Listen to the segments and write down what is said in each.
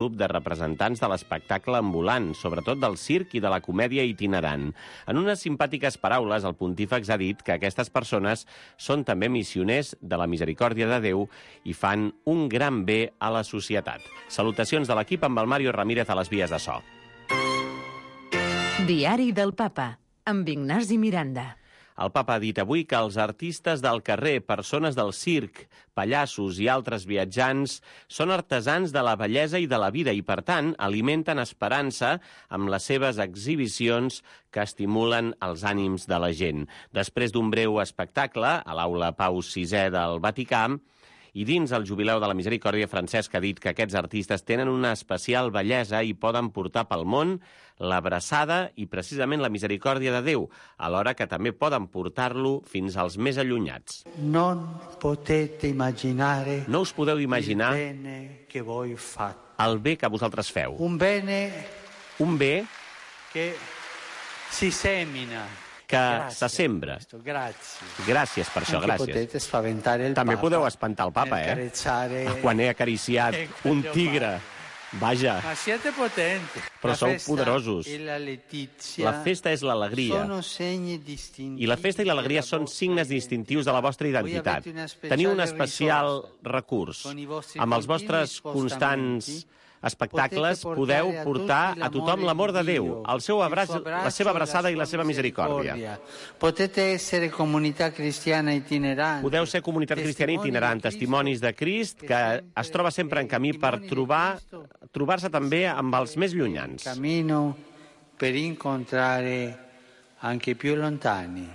grup de representants de l'espectacle ambulant, sobretot del circ i de la comèdia itinerant. En unes simpàtiques paraules, el pontífex ha dit que aquestes persones són també missioners de la misericòrdia de Déu i fan un gran bé a la societat. Salutacions de l'equip amb el Mario Ramírez a les vies de so. Diari del Papa, amb Ignasi Miranda. El papa ha dit avui que els artistes del carrer, persones del circ, pallassos i altres viatjants són artesans de la bellesa i de la vida i, per tant, alimenten esperança amb les seves exhibicions que estimulen els ànims de la gent. Després d'un breu espectacle a l'aula Pau VI del Vaticà, i dins el Jubileu de la Misericòrdia, Francesc ha dit que aquests artistes tenen una especial bellesa i poden portar pel món l'abraçada i precisament la misericòrdia de Déu, alhora que també poden portar-lo fins als més allunyats. No us podeu imaginar el bé que vosaltres feu. Un bé que si semina. Que se sembra. Gràcies per això, gràcies. També podeu espantar el papa, quan he acariciat un tigre. Vaja. Però sou poderosos. La festa és l'alegria. I la festa i l'alegria són signes distintius de la vostra identitat. Teniu un especial recurs. Amb els vostres constants espectacles podeu portar a tothom l'amor de Déu, el seu abraç, la seva abraçada i la seva misericòrdia. Podeu ser comunitat cristiana itinerant, testimonis de Crist que es troba sempre en camí per trobar-se també amb els més llunyans. Per incontrare anche più lontani.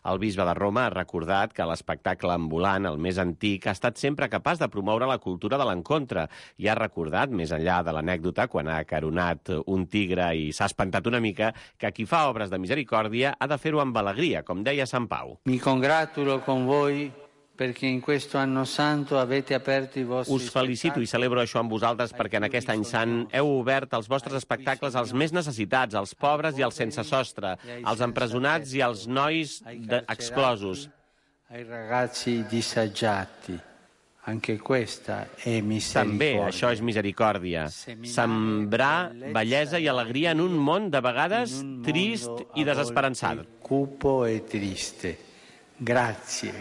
El bisbe de Roma ha recordat que l'espectacle ambulant, el més antic, ha estat sempre capaç de promoure la cultura de l'encontre i ha recordat, més enllà de l'anècdota, quan ha acaronat un tigre i s'ha espantat una mica, que qui fa obres de misericòrdia ha de fer-ho amb alegria, com deia Sant Pau. Mi congratulo con voi perché in questo anno santo avete aperto i vostri Us felicito i celebro això amb vosaltres perquè en aquest any sant heu obert els vostres espectacles als més necessitats, als pobres i als sense sostre, als empresonats i als nois exclosos. Ai ragazzi disagiati. Anche questa è misericordia. També això és misericòrdia. Sembrar bellesa i alegria en un món de vegades trist i desesperançat. Cupo e triste. Grazie.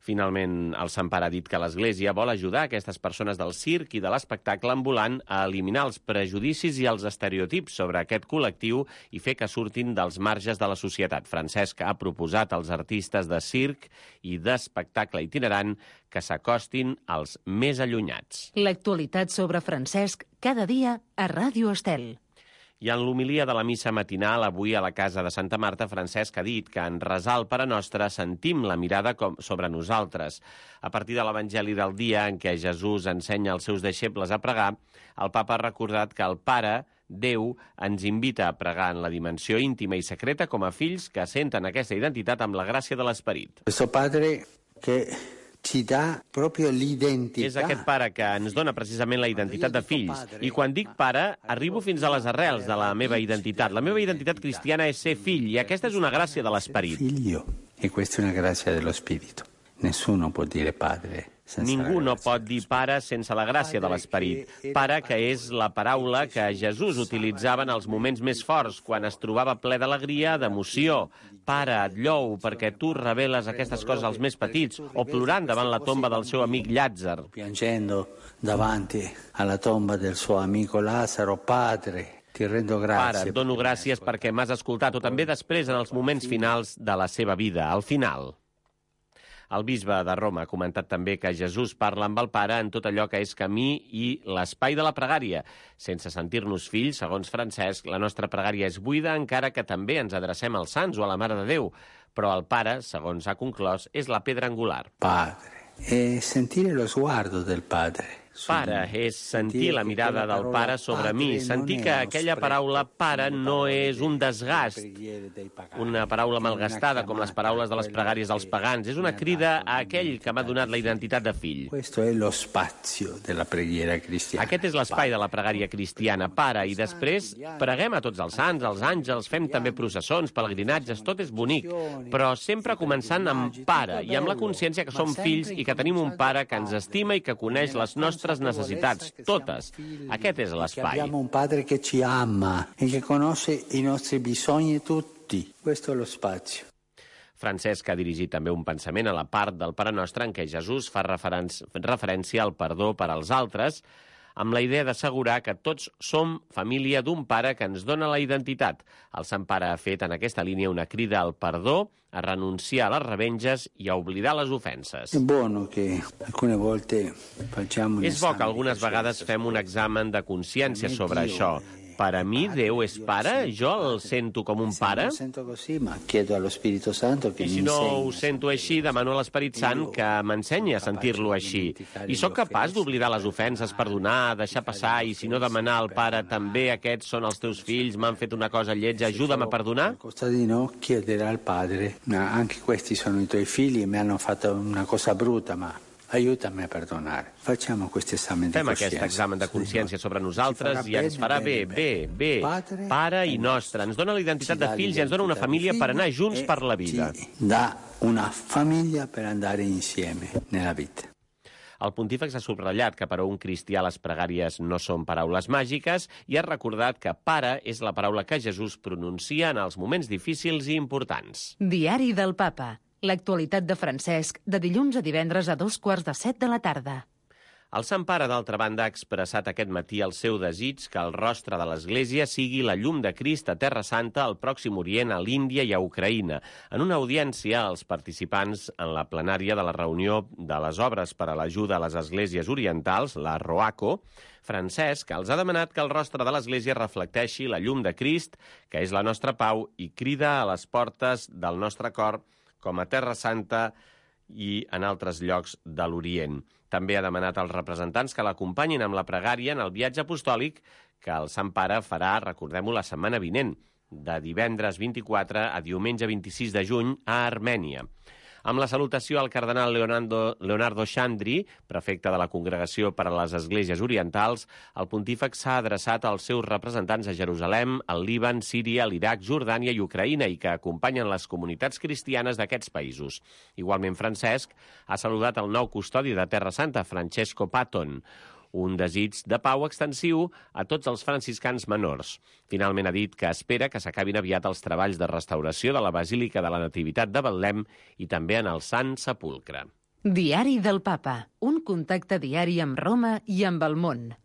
Finalment, el Sant Pare ha dit que l'Església vol ajudar aquestes persones del circ i de l'espectacle ambulant a eliminar els prejudicis i els estereotips sobre aquest col·lectiu i fer que surtin dels marges de la societat. Francesc ha proposat als artistes de circ i d'espectacle itinerant que s'acostin als més allunyats. L'actualitat sobre Francesc cada dia a Ràdio Estel. I en l'homilia de la missa matinal, avui a la casa de Santa Marta, Francesc ha dit que en resar el Pare Nostre sentim la mirada sobre nosaltres. A partir de l'Evangeli del dia en què Jesús ensenya als seus deixebles a pregar, el papa ha recordat que el Pare, Déu, ens invita a pregar en la dimensió íntima i secreta com a fills que senten aquesta identitat amb la gràcia de l'Esperit. Questo Padre que ci dà proprio l'identità. És aquest pare que ens dona precisament la identitat de fills. I quan dic pare, arribo fins a les arrels de la meva identitat. La meva identitat cristiana és ser fill, i aquesta és una gràcia de l'Esperit. Figlio, e questa è una grazia dello Spirito. Nessuno può dire padre. Ningú no pot dir pare sense la gràcia de l'Esperit. Pare, que és la paraula que Jesús utilitzava en els moments més forts, quan es trobava ple d'alegria, d'emoció. Pare, et llou perquè tu reveles aquestes coses als més petits, o plorant davant la tomba del seu amic Llàtzer. Piangendo davanti alla tomba del suo amico Lazzaro, padre. Pare, et dono gràcies perquè m'has escoltat, o també després en els moments finals de la seva vida, al final. El bisbe de Roma ha comentat també que Jesús parla amb el Pare en tot allò que és camí i l'espai de la pregària. Sense sentir-nos fills, segons Francesc, la nostra pregària és buida, encara que també ens adrecem als sants o a la Mare de Déu. Però el Pare, segons ha conclòs, és la pedra angular. Padre, e sentire lo sguardo del Padre. Pare és sentir la mirada del Pare sobre mi, sentir que aquella paraula pare no és un desgast, una paraula malgastada com les paraules de les pregàries dels pagans, és una crida a aquell que m'ha donat la identitat de fill. Questo è lo spazio della preghiera cristiana. Aquest és l'espai de la pregària cristiana, Pare, i després preguem a tots els sants, els àngels, fem també processons, pelegrinatges, tot és bonic, però sempre començant amb Pare i amb la consciència que som fills i que tenim un Pare que ens estima i que coneix les nostres nostres necessitats, totes. Aquest és l'espai. Abbiamo un padre che ci ama e che conosce i nostri bisogni tutti. Questo è lo spazio. Francesc ha dirigit també un pensament a la part del Pare Nostre en què Jesús fa referència al perdó per als altres, amb la idea d'assegurar que tots som família d'un pare que ens dona la identitat. El Sant Pare ha fet en aquesta línia una crida al perdó, a renunciar a les revenges i a oblidar les ofenses. És bo que algunes vegades fem un examen de consciència sobre això. Per a mi, Déu és pare? Jo el sento com un pare? I si no ho sento així, demano a l'Esperit Sant que m'ensenyi a sentir-lo així. I sóc capaç d'oblidar les ofenses, perdonar, deixar passar, i si no demanar al pare també aquests són els teus fills, m'han fet una cosa lletja, ajuda'm a perdonar? Al costadino chiederà al padre, anche questi sono i tuoi figli, mi hanno fatto una cosa brutta, ma aiutami a perdonare. Facciamo questo esame di coscienza. Fem aquest examen de consciència sobre nosaltres i ens farà bé. Pare i nostre. Ens dona la identitat de fills i ens dona una família per anar junts per la vida. Da una famiglia per andare insieme nella vita. El pontífex ha subratllat que per a un cristià les pregàries no són paraules màgiques i ha recordat que pare és la paraula que Jesús pronuncia en els moments difícils i importants. Diari del Papa. L'actualitat de Francesc, de dilluns a divendres a 2:15 de la tarda. El Sant Pare, d'altra banda, ha expressat aquest matí el seu desig que el rostre de l'Església sigui la llum de Crist a Terra Santa, al Pròxim Orient, a l'Índia i a Ucraïna. En una audiència als participants en la plenària de la reunió de les obres per a l'ajuda a les esglésies orientals, la ROACO, Francesc els ha demanat que el rostre de l'Església reflecteixi la llum de Crist, que és la nostra pau, i crida a les portes del nostre cor com a Terra Santa i en altres llocs de l'Orient. També ha demanat als representants que l'acompanyin amb la pregària en el viatge apostòlic que el Sant Pare farà, recordem-ho, la setmana vinent, de divendres 24 a diumenge 26 de juny a Armènia. Amb la salutació al cardenal Leonardo Xandri, prefecte de la Congregació per a les Esglésies Orientals, el pontífex s'ha adreçat als seus representants a Jerusalem, al Líban, Síria, l'Iraq, Jordània i Ucraïna i que acompanyen les comunitats cristianes d'aquests països. Igualment, Francesc ha saludat el nou custodi de Terra Santa, Francesco Patton, un desig de pau extensiu a tots els franciscans menors. Finalment ha dit que espera que s'acabin aviat els treballs de restauració de la Basílica de la Nativitat de Betlem i també en el Sant Sepulcre. Diari del Papa. Un contacte diari amb Roma i amb el món.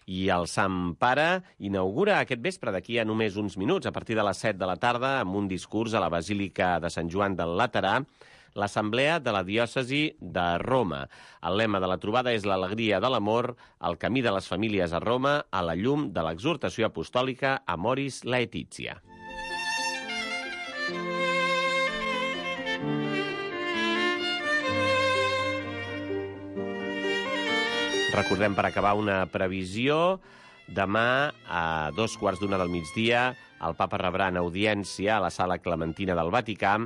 I el Sant Pare inaugura aquest vespre, d'aquí a només uns minuts, a partir de les 7 de la tarda, amb un discurs a la Basílica de Sant Joan del Laterà, l'Assemblea de la Diòcesi de Roma. El lema de la trobada és l'alegria de l'amor, el camí de les famílies a Roma, a la llum de l'exhortació apostòlica Amoris Laetitia. Recordem, per acabar, una previsió. Demà, a 2:15 del migdia, el Papa rebrà en audiència a la Sala Clementina del Vaticà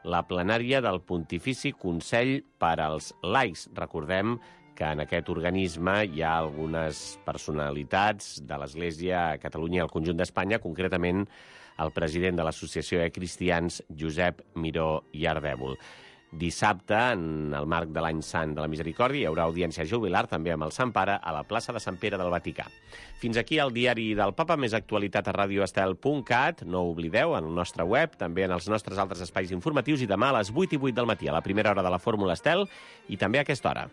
la plenària del Pontifici Consell per als Laics. Recordem que en aquest organisme hi ha algunes personalitats de l'Església a Catalunya i al conjunt d'Espanya, concretament el president de l'Associació de Cristians, Josep Miró i Ardèvol. Dissabte, en el marc de l'Any Sant de la Misericòrdia, hi haurà audiència jubilar també amb el Sant Pare a la plaça de Sant Pere del Vaticà. Fins aquí el Diari del Papa, més actualitat a radioestel.cat. No ho oblideu, en el nostre web, també en els nostres altres espais informatius, i demà a les 8:08 del matí, a la primera hora de la Fórmula Estel, i també a aquesta hora.